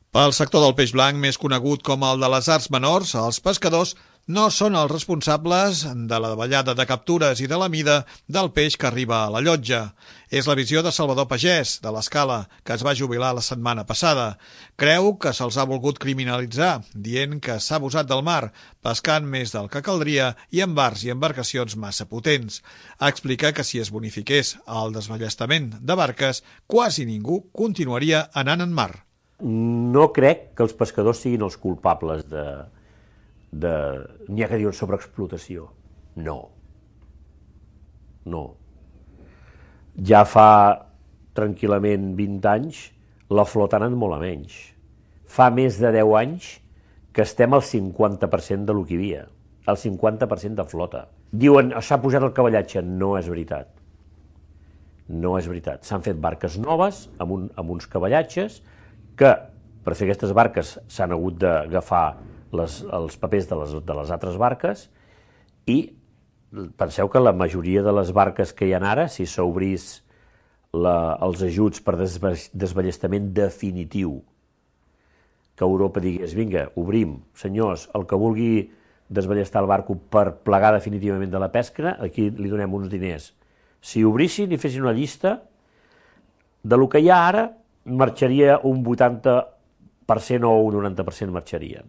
Pel sector del peix blanc, més conegut com el de les arts menors, els pescadors no són els responsables de la davallada de captures i de la mida del peix que arriba a la llotja. És la visió de Salvador Pagès, de l'Escala, que es va jubilar la setmana passada. Creu que se'ls ha volgut criminalitzar, dient que s'ha abusat del mar, pescant més del que caldria i amb barcs i embarcacions massa potents. Explica que si es bonifiqués el desballestament de barques, quasi ningú continuaria anant en mar. No crec que els pescadors siguin els culpables n'hi ha que diuen sobreexplotació. No. Ja fa tranquil·lament 20 anys la flota ha anat molt a menys. Fa més de 10 anys que estem al 50% de lo que hi havia. El 50% de flota. Diuen, s'ha pujat el cavallatge. No és veritat. No és veritat. S'han fet barques noves amb uns cavallatges que per fer aquestes barques s'han hagut d'agafar els papers de les altres barques i penseu que la majoria de les barques que hi ha ara, si s'obrís els ajuts per desballestament definitiu, que Europa digués, vinga, obrim, senyors, el que vulgui desballestar el barco per plegar definitivament de la pesca, aquí li donem uns diners. Si obrissin i fessin una llista de lo que hi ha ara, marxaria un 80% o un 90% marxarien.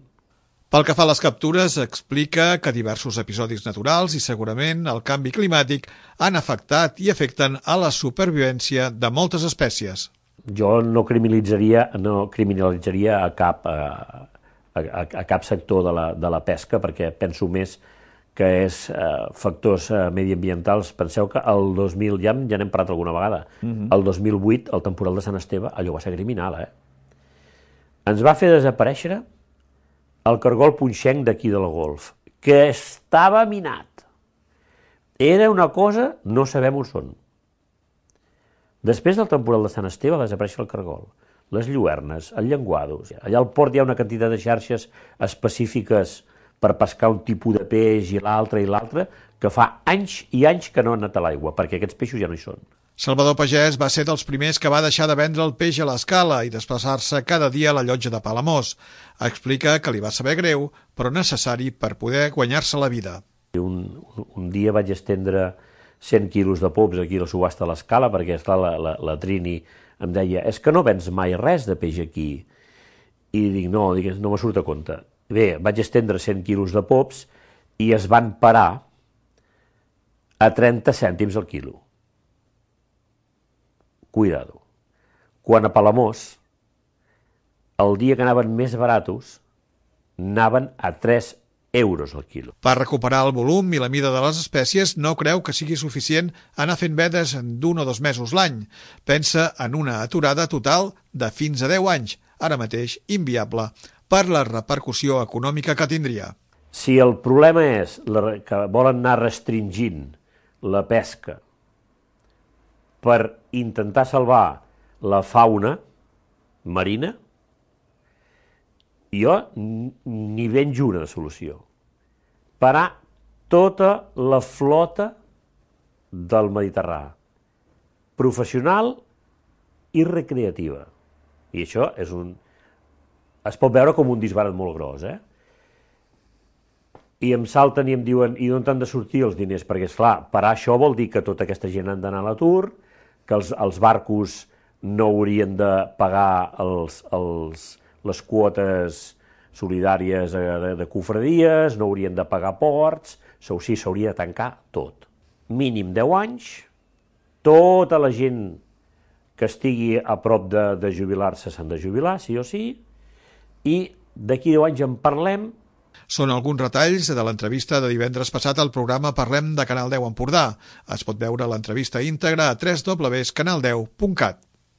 Pel que fa a les captures, explica que diversos episodis naturals i segurament el canvi climàtic han afectat i afecten a la supervivència de moltes espècies. Jo no criminalitzaria a cap sector de la pesca perquè penso més que és factors mediambientals. Penseu que el 2000, ja n'hem parlat alguna vegada, el 2008, el temporal de Sant Esteve, allò va ser criminal, Ens va fer desaparèixer el cargol punxenc d'aquí de la Golf, que estava minat. Era una cosa, no sabem on són. Després del temporal de Sant Esteve va desaparèixer el cargol, les lluernes, el llenguados. Allà al port hi ha una quantitat de xarxes específiques per pescar un tipus de peix i l'altre, que fa anys i anys que no han anat a l'aigua, perquè aquests peixos ja no hi són. Salvador Pagès va ser dels primers que va deixar de vendre el peix a l'Escala i desplaçar-se cada dia a la llotja de Palamós. Explica que li va saber greu, però necessari per poder guanyar-se la vida. Un dia vaig estendre 100 quilos de pops aquí a la subhasta a l'Escala, perquè esclar, la Trini em deia, és que no vens mai res de peix aquí. I dic, no me surt a compte. Bé, vaig estendre 100 quilos de pops i es van parar a 30 cèntims al quilo. Cuidado. Quan a Palamós, el dia que anaven més baratos, anaven a 3 euros al quilo. Per recuperar el volum i la mida de les espècies, no creu que sigui suficient anar fent vedes d'1 o 2 mesos l'any. Pensa en una aturada total de fins a 10 anys, ara mateix inviable, per la repercussió econòmica que tindria. Si el problema és que volen anar restringint la pesca per intentar salvar la fauna marina, jo n'hi veig una solució. Parar tota la flota del Mediterrani, professional i recreativa. I això es pot veure com un disbarat molt gros, I em salten i em diuen, i d'on han de sortir els diners? Perquè, esclar, parar això vol dir que tota aquesta gent han d'anar a l'atur, que els barcos no haurien de pagar les quotes solidàries de cofradies, no haurien de pagar ports, sí, s'hauria de tancar tot. Mínim 10 anys, tota la gent que estigui a prop de jubilar-se s'han de jubilar, sí o sí, i d'aquí 10 anys en parlem. Són alguns retalls de l'entrevista de divendres passat al programa Parlem de Canal 10 Empordà. Es pot veure l'entrevista íntegra a www.canal10.cat.